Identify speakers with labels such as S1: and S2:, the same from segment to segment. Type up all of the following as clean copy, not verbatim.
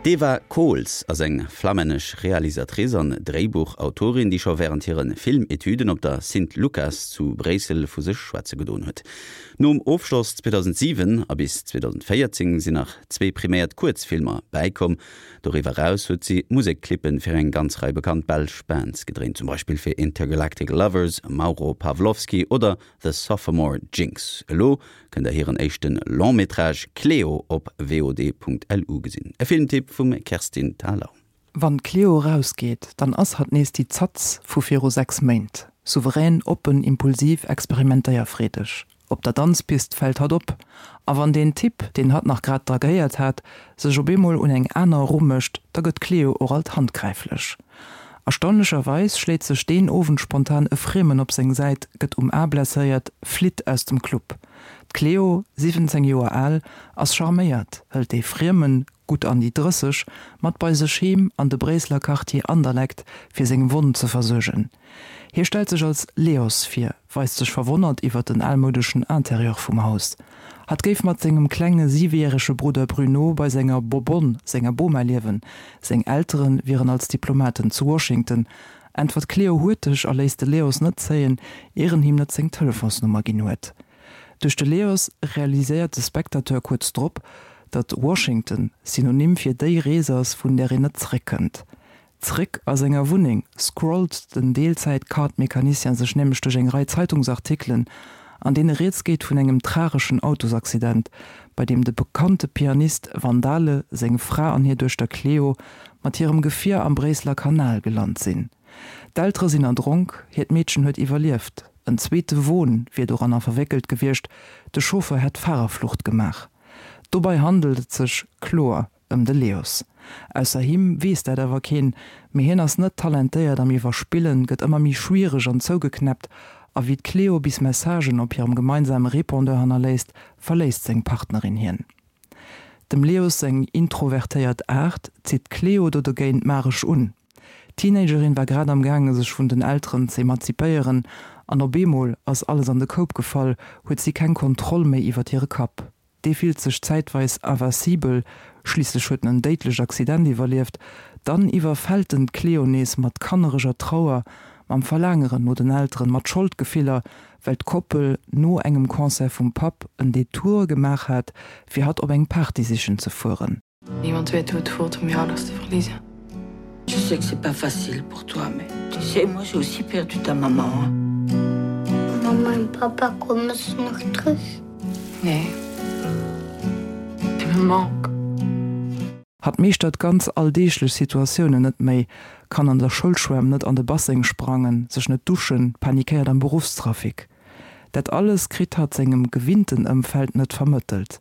S1: D'Eva Cools ass eng flammännesch Realisatrice an Dréibuchautorin, déi scho wärend hire Filmetüden op der Sint-Lukas zu Bréissel vu sech schwätze gedoen huet. Nom Ofschloss 2007 a bis 2014 sinn nach zwee priméiert Kuerzfilmer bäikomm. Doriwwer eraus huet si Musekclippe fir eng ganz Rei bekannt belsch Bands gedréint, zum Beispill fir Intergalactic Lovers, Mauro Pawlowski oder The Sophomore Jinx. Elo kënnt der hiren éischte Long-Métrage Cléo op vod.lu gesinn. E Filmtipp vum Kerstin Thalau.
S2: Wann d'Cléo erausgeet, dann ass hatt nees déi Zatz vu viru 6 Méint. Souverän, oppen, impulsiv, experimentéierfreedeg. Op der Danzpist fält hatt op. A wann deen Typ, deen hatt nach grad dragéiert hat, sech op eemol un eng aner erumécht, da gëtt d'Cléo och alt handgräiflech. Erstaunlecherweis schléit sech deen Owend spontan e Friemen op seng Säit, gëtt um A blesséiert, flitt aus dem Club. D'Cléo, 17 Joer al, ass charméiert, hëlt dee Friemen, gutt an déi 30, mat bei sech heem an de Bréisseler Quartier Anderlecht, fir seng Wonn ze versuergen. Hie stellt sech als Leos vir, weist sech verwonnert iwwer den almoudeschen Interieur vum Haus. Hatt géif mat sengem klenge siwejärege Brudder Bruno bei senger Bobonne, senger Boma liewen, seng Eltere wieren als Diplomaten zu Washington, äntwert d'Cleo huerteg a léisst de Leos net zéien, ier en him net seng Telefonsnummer ginn huet. Duerch de Leos realiséiert de Spectateur kuerz drop, datt Washington Synonym fir déi Rees ass, vun där een net zeréckkënnt. Zréck a senger Wunneng scrollt den Deelzäit-Kart-Mecanicien sech nämlech duerch eng Rei Zeitungsartikelen, an deene rieds geet vun engem trageschen Autosaccident, bei deem de bekannte Pianist Van Dale, seng Fra an hir Duechter Cleo mat hirem Gefier am Bréisseler Kanal gelant sinn. D'Eltere sinn erdronk, hiert Meedchen huet iwwerlieft. En zweete Won wier doranner verwéckelt gewiescht, de Chauffeur hätt Fahrerflucht gemaach. Dobei handelt et sech kloer Ëm de Leos. Ausser him weess dat awer keen, mee hien ass net talentéiert am Iwwerspillen, gëtt ëmmer méi schwiereg an zougeknäppt, a wéi d'Cleo bis Messagen op hirem gemeinsame Répondeur hannerléisst, verléisst seng Partnerin hien. Dem Leos seng introvertéiert Aart zitt d'Cleo do dogéint magesch un. D'Teenagerin war grad am gaange sech vun den Elteren z'emanzipéieren an op eemol ass alles an de Koup gefall, huet si keng Kontroll méi iwwert hire Kapp. Dee fillt sech zäitweis invincibel, schliisslech huet en en déidlecht Accident iwwerlieft. Dann iwwerfält en d'Cleo nees mat kannereger Trauer, mam Verlaangeren no den Elteren, mat Scholdgefiller, well d'Koppel no engem Concert vum Papp en Detour gemaach hat, fir hatt op eng Party sichen ze fueren.
S3: Niemand weet hoe het voelt om je ouders te verliezen.
S4: Je sais que c'est pas facile pour toi, mais tu sais, moi j'ai aussi perdu ta maman.
S5: Mama en papa komen ze nog terug?
S3: Nee. Tu me manques.
S2: Hatt meeschtert ganz alldeeglech Situatiounen net méi, kann an der Schoulschwämm net an de Basseng sprangen, sech net duschen, panikéiert am Beruffstrafic. Dat alles kritt hatt sengem gewinnten Ëmfeld net vermëttelt,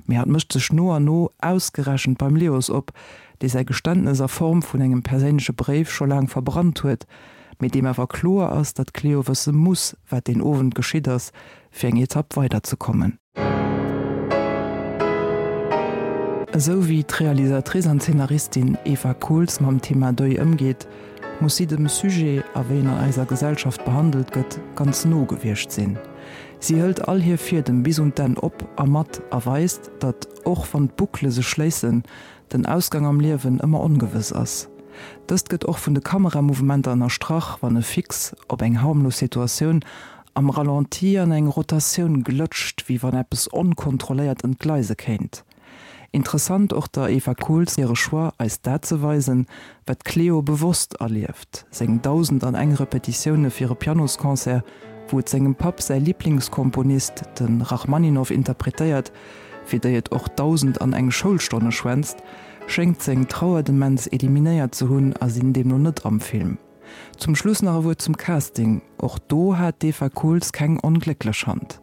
S2: mee hatt mécht sech no an no ausgerechent beim Leos op, dee säi Geständnes a Form vun engem perséinleche Bréif scho laang verbrannt huet, mee deem awer kloer ass, datt d'Cleo wësse muss, wat deen Owend geschitt ass, fir eng Etapp weider ze kommen. Esou wéi d'Realisatrice an Zeenaristin Eva Cools mam Thema Deuil ëmgeet, muss si dem Sujet, a wéi en an eiser Gesellschaft behandelt gëtt, ganz no gewiescht sinn. Si hëlt all hir Fiedem bis un d'Enn op a mat a weist, datt, och wann d'Boucle sech schléissen, den Ausgang am Liewen ëmmer ongewëss ass. Dëst gëtt och vun de Kameramouvementer ënnerstrach, wann e Fix op eng harmlos Situatioun am Ralenti an eng Rotatioun glëtscht, wéi wann eppes onkontrolléiert entgleise kéint. Interessant och der Eva Cools hire Choix, eis dat ze weisen, wat d'Cléo bewosst erlieft, seng 1001 Repetitioune fir e Pianosconcert, wou et sengem Papp säi Liblingskomponist, de Rachmaninoff, interpretéiert, fir déi et och 1001 Schoulstonne schwänzt, schéngt seng Trauerdemenz eliminéiert ze hunn a sinn deemno net am Film. Zum Schluss nach e Wuert zum Casting, Och do hat d'Eva Cools keng onglécklech Hand.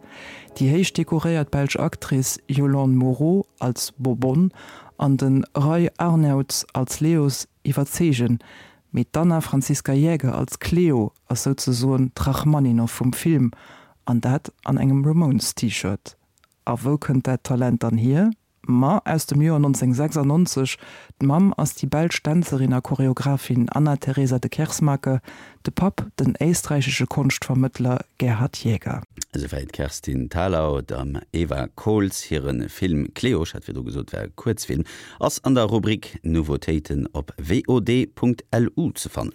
S2: Déi héich dekoréiert belsch Actrice Yolande Moreau als Bobonne an de Ray Arnouts als Leos iwwerzeegen, mee d'Anna Franziska Jäger als Cleo ass souzesoen d'Rachmaninoff vum Film, an dat an engem Ramones-T-Shirt. A wou kënnt dat Talent dann hier? Ma aus dem Joer 1996. D'Mamm ass déi belsch Dänzerin a Choreographin Anna Teresa de Keersmaeker, de Papp den éisträichesche Konschtvermëttler Gerhard Jäger.
S1: Esouwäit d'Kerstin Thalau. Dem Eva Kohls hire Film Cléo, ech hat virdru gesot, war e Kuerzfilm, ass an der Rubrik Nouveautéiten op vod.lu ze fannen.